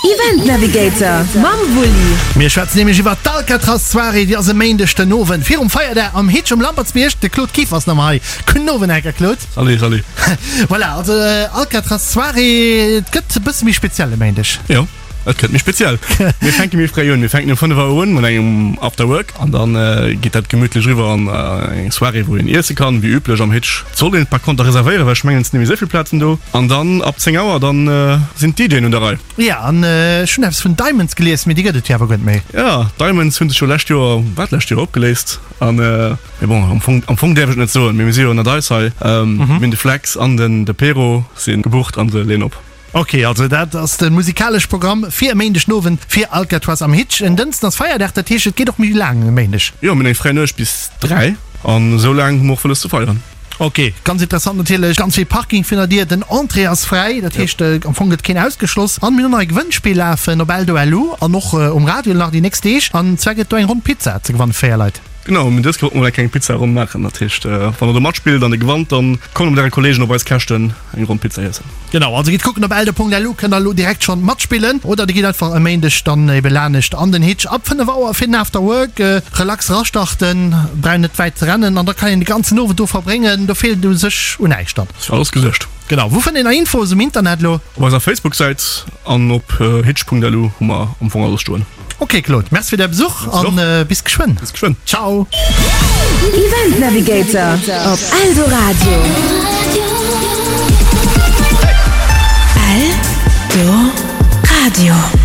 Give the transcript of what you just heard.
Event Navigator mam Wulli. Mir schwätzen nämlech iwwer d'Alcatraz Soirée, déi ass e Méindeg den Owend virum Feierdag am Hitch um Lampertsbierg. De Claude Kieffer ass nach ëmmer hei. Gudden Owend, Här Claude. Salut, salut. Voilà, also Alcatraz Soirée, et gëtt e bësse méi speziell e Méindeg. Jo, et gëtt méi speziell. Mir fänke méi fréi un. Mir fänken um 5 Auer un mat engem After Work an dann geet dat gemütlech eriwwer an eng Soirée, wou een iesse kann, wéi üblech am Hitch. Et sollt een par conter reservéieren, well ech mengen, et sinn net méi esou vill Plazen do. An dann ab 10 Auer, dann sinn d'DJen un der Rei. Jo, an ech hunn eppes vun Diamonds gelies, mee déi gëtt et jo awer guer net méi. Jo, Diamonds hu sech jo lescht Joer, war d'lescht Joer, opgeléist. An, mee bon, am Fong, am Fong däerf ech et net soen, mee mir si jo ënnert eis hei. Mir hunn de Flex an den de Pero si gebucht an se leeën op. Ok, also dat ass de musikalesch Programm fir e Méindeg den Owend fir Alcatraz am Hitch. En Dënsten ass Feierdag, dat heescht et geet och méi laang e Méindeg. Jo, mir hunn eng fräi Nuecht bis 3 an esou laang hu mer och wëlles ze feieren. Ok, ganz interessant natierlech, ganz vill Parking virun der Dier, den Entrée ass fräi, dat heescht am Fong gëtt keen ausgeschloss. An mir hunn nach e Gewënnspill lafen op Eldo.lu an och um Radio nach déi nächst Deeg an zwar gëtt do eng ronn Pizza ze gewanne fir 4 Leit. Genau, mee dës Kéier wollte mer eng kleng Pizza ronn maachen, dat heescht wann der do matspillt an der gewannt, dann kommt mat äre Kollegen op eis Käschten eng ronn Pizza iessen. Genau, also gitt kucken op eldo.lu, kënnt der elo direkt schonn matspillen oder dir gitt einfach e Méindeg dann ebe lanescht an den Hitch ab 5 Auer fir den After Work. Relax erastarten, brauch net wäit ze rennen an da kann een de ganzen Owend do verbréngen, do feelt et u sech un näischt dann. Ass fir alles gesuergt. Genau, wou fënnt een nach Info's um Internet elo? Op eiser Facebook-Säit an op hitch.lu hu mer am Fong alles stoen. Ok Claude, merci fir däi Besuch an bis geschwënn. Bis geschwënn. Ciao. Event Navigator op Eldoradio. Eldoradio.